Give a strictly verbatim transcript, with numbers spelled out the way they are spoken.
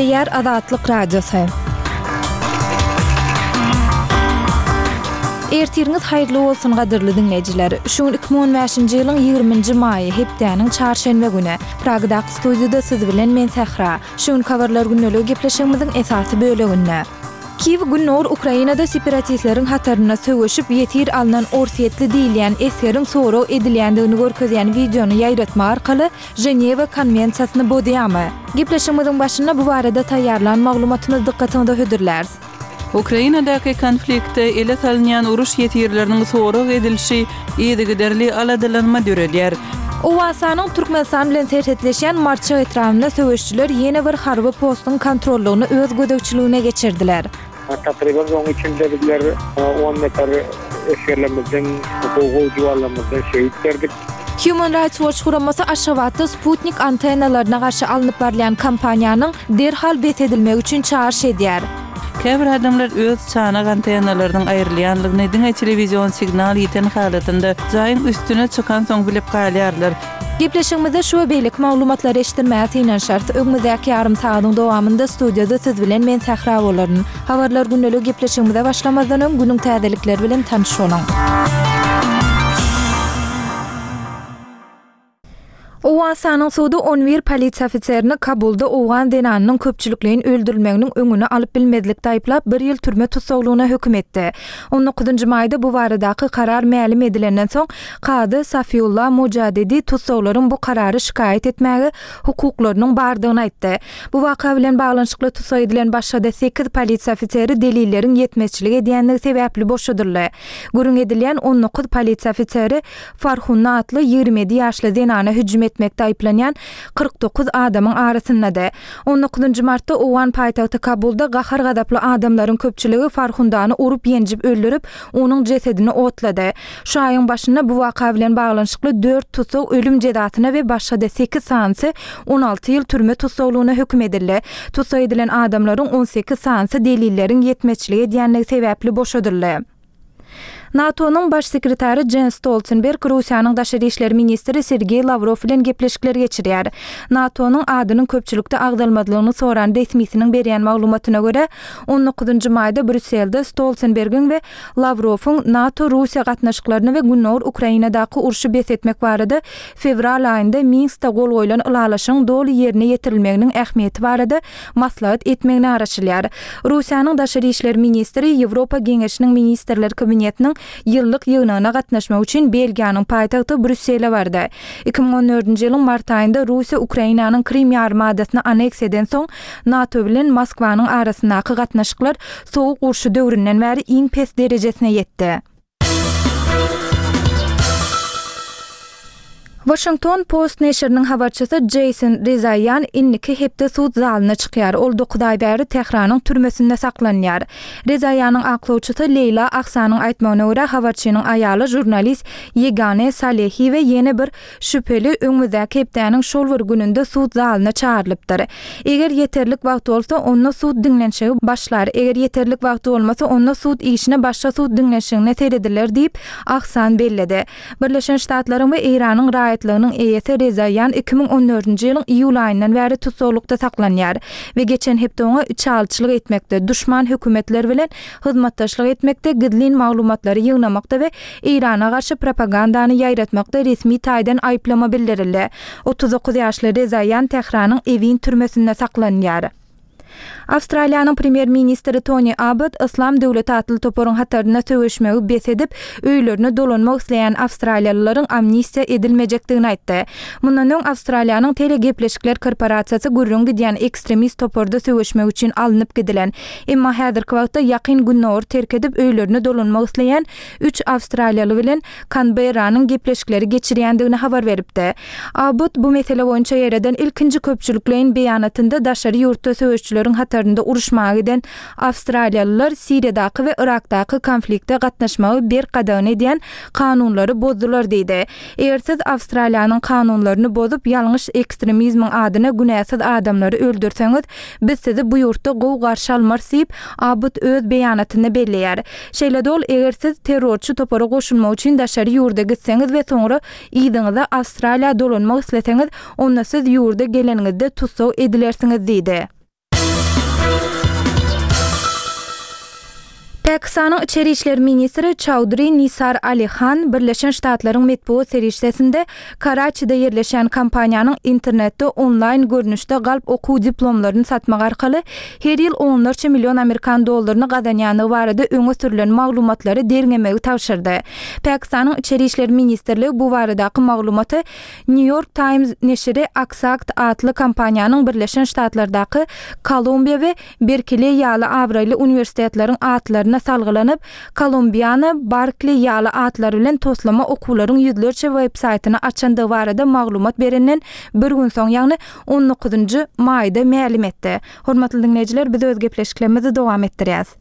Gepleýär Azatlyk Radiosy. Ertiriňiz haýyrly bolsun gadyrly diňleýjiler. Şu gün iki müň on bäşinji ýylyň ýigriminji maýy, hepdäniň çarşenbe güni. Pragadaky studiýada siz bilen men Sähra. Şu günki Habarlar gündeligi gepleşigimiziň esasy böleginde. Kiýew Gündogar Ukrainada separatistleriň hatarynda söweşip, ýesir alnan orsýetli diýilýän esgeriň sorag edilýändigini görkezýän wideony ýaýratmak arkaly Ženewa konwensiýasyny bozýarmy? Gepleşigimiziň başynda bu barada taýýarlan maglumatymyzy dykgatyňyza hödürläris. Ukrainadaky konfliktde ele salynýan uruş ýesirleriniň sorag edilişi yzygiderli aladalanma döredýär. Owganystanyň Türkmenistan bilen serhetleşýän Marçak etrabynda söweşijiler ýene bir harby postuň kontrollygyny öz gözegçiligine geçirdiler. Takryban oň içinde bizler on nefer esgerlerimizden, gowy-gowy juwanlarymyzdan şehit berdik. Human Rights Watch guramasy Aşgabatda sputnik antennalaryna garşy alnyp barylýan kampaniýanyň derhal bes edilmegi üçin çagyryş edýär. Käbir adamlar öz çanak antennalarynyň aýrylýanlygyny diňe telewizion signal ýiten halatynda jaýyň üstüne çykan soň bilip galýarlar. Gepleşigimizde şu we beýleki maglumatlary eşitdirmäge synanyşarys. Öňümizdäki ýarym sagadyň dowamynda studiýada siz bilen men Sähra bolaryn. Habarlar gündeligi gepleşigimize başlamazdan öň günüň täzelikleri bilen tanyş boluň. Owganystanyň sudy on bir polisiýa ofiserini Kabulda owgan zenanynyň köpçülikleýin öldürilmeginiň öňüni alyp bilmezlikde aýyplap bir ýyl türme tussaglygyna höküm etdi. On dokuzynjy maýda bu baradaky karar mälim edilenden soň kazy Safiullah Mujadedi tussaglaryň bu karary şikaýat etmäge hukuklarynyň bardygyny aýtdy. Bu waka bilen baglanyşykly tussag edilen başga-da sekiz polisiýa ofiseri delilleriň ýetmezçilik edýänligi sebäpli boşadyldy. Gürrüň edilýän on dokuz polisiýa ofiseri Farhunna atly ýigrimi ýedi ýaşly zenana hüjüm etmekde aýyplanýan kyrk dokuz adamyň arasyndady. On dokuzynjy martda Owgan paýtagty Kabulda gahar-gazaply adamlaryň köpçüligi Farhundany urup ýenjip öldürip, onuň jesedini otlady. Şu aýyň başynda bu waka bilen baglanyşykly dört tussag ölüm jezasyna we başga-da sekiz sanysy on alty ýyl türme tussaglygyna höküm edildi. Tussag edilen adamlaryň on sekiz sanysy delilleriň ýetmezçilik edýänligi sebäpli boşadyldy. NATO-nyň baş sekretary Jens Stoltenberg Russiýanyň daşary işler ministri Sergeý Lawrow bilen gepleşikler geçirýär. NATO-nyň adynyň köpçülikde agzalmazlygyny soran resmisiniň berýän maglumatyna görä, on dokuzynjy maýda Brýusselde Stoltenbergiň we Lawrowyň NATO-Russiýa gatnaşyklaryny we Gündogar Ukrainadaky urşy bes etmek barada fewral aýynda Minskde gol goýlan ylalaşygyň doly ýerine ýetirilmeginiň ähmiýeti barada maslahat etmegine garaşylýar. Russiýanyň daşary işler ministri Ýewropa Geňeşiniň Ministrler Kabinetiniň ýyllyk ýygnagyna gatnaşmak üçin Belgiýanyň paýtagty Brýussele bardy. Iki müň on dördünji ýylyň mart aýynda Russiýa Ukrainanyň Krym ýarymadasyny anneksiýa eden soň NATO bilen Moskwanyň arasyndaky gatnaşyklar sowuk urşy döwründen bäri iň pes derejesine ýetdi. Washington Post neşiriniň habarçysy Jason Rezaian indiki hepde sud zalyna çykýar. Ol dokuz aý bäri Tähranyň türmesinde saklanýar. Rezaianyň aklawçysy Leýla Ahsanyň aýtmagyna görä, habarçynyň aýaly žurnalist Ýegane Salehi we ýene bir şübheli öňümizdäki hepdäniň şol bir gününde sud zalyna çagyrylypdyr. Eger ýeterlik wagt bolsa, onda sud diňlenişigi başlar. Eger ýeterlik wagt bolmasa, onda sud işine başga sud diňlenişigine serediler diýip, Ahsan belledi. Birleşen Ştatlaryň we Eýranyň raýatlygynyň eýesi Rezaian iki müň on dördünji ýylyň iýul aýyndan bäri tussaglykda saklanýar we geçen hepde oňa içalyçylyk etmekde, duşman hökümetler bilen hyzmatdaşlyk etmekde, gizlin maglumatlary ýygnamakda we Eýrana garşy propagandany ýaýratmakda resmi taýdan aýyplama bildirildi. Otuz dokuz ýaşly Rezaian Tähranyň Ewin türmesinde saklanýar. Awstraliýanyň premýer-ministri Tony Abbott Yslam döwleti atly toparyň hatarynda söweşmegi bes edip, öýlerine dolanmak isleýän awstraliýalylaryň amnistiýa edilmejekdigini aýtdy. Mundan öň Awstraliýanyň telegepleşikler korporasiýasy gürrüň gidýän ekstremist toparda söweşmek üçin alnyp gidilen, emma häzirki wagtda Ýakyn Gündogary terk edip öýlerine dolanmak isleýän üç awstraliýaly bilen Kanberranyň gepleşikleri geçirýändigini habar beripdi. Abbott bu mesele boýunça ýereden ilkinji köpçülikleýin beýanatynda daşary ýurtda söweşçileriň hatarynda uruşmaga giden awstraliýalylar Siriýadaky we Yrakdaky konflikte gatnaşmagy berk gadagan edýän kanunlary bozdular diýdi. Eger siz Awstraliýanyň kanunlaryny bozup, ýalňyş ekstremizmiň adyna günäsiz adamlary öldürseňiz, biz sizi bu ýurtda gowy garşy almarys diýip, Abbott öz beýanatynda belleýär. Şeýle-de ol, eger siz terrorçy topara goşulmak üçin daşary ýurda gitseňiz we soňra yzyňyza Awstraliýa dolanmak isleseňiz, onda siz ýurda geleniňizde tussag edilersiňiz diýdi. Pakistanyň içeri işler ministri Çaudri Nisar Ali Han Birleşen Ştatlaryň metbugat serişdesinde Karaçide ýerleşýän kompaniýanyň internetde onlaýn görnüşde galp okuw diplomlaryny satmak arkaly her ýyl onlarça million amerikan dollaryny gazanýandygy barada öňe sürlen maglumatlary derňemegi tabşyrdy. Pakistanyň içeri işler ministrligi bu baradaky maglumaty New York Times neşiri Axact atly kompaniýanyň Birleşen Ştatlardaky Kolumbiýa we Berkeleý ýaly abraýly uniwersitetleriň atlaryna salgylanyp, Kolumbiana, Barkli ýaly atlar bilen toslama okuwlaryň ýüzlerçe web-saýtyny açandygy barada maglumat berenden bir gün soň, ýagny on dokuzynjy maýda mälim etdi. Hormatly diňleýjiler, biz öz gepleşiklerimizi dowam etdirýäs.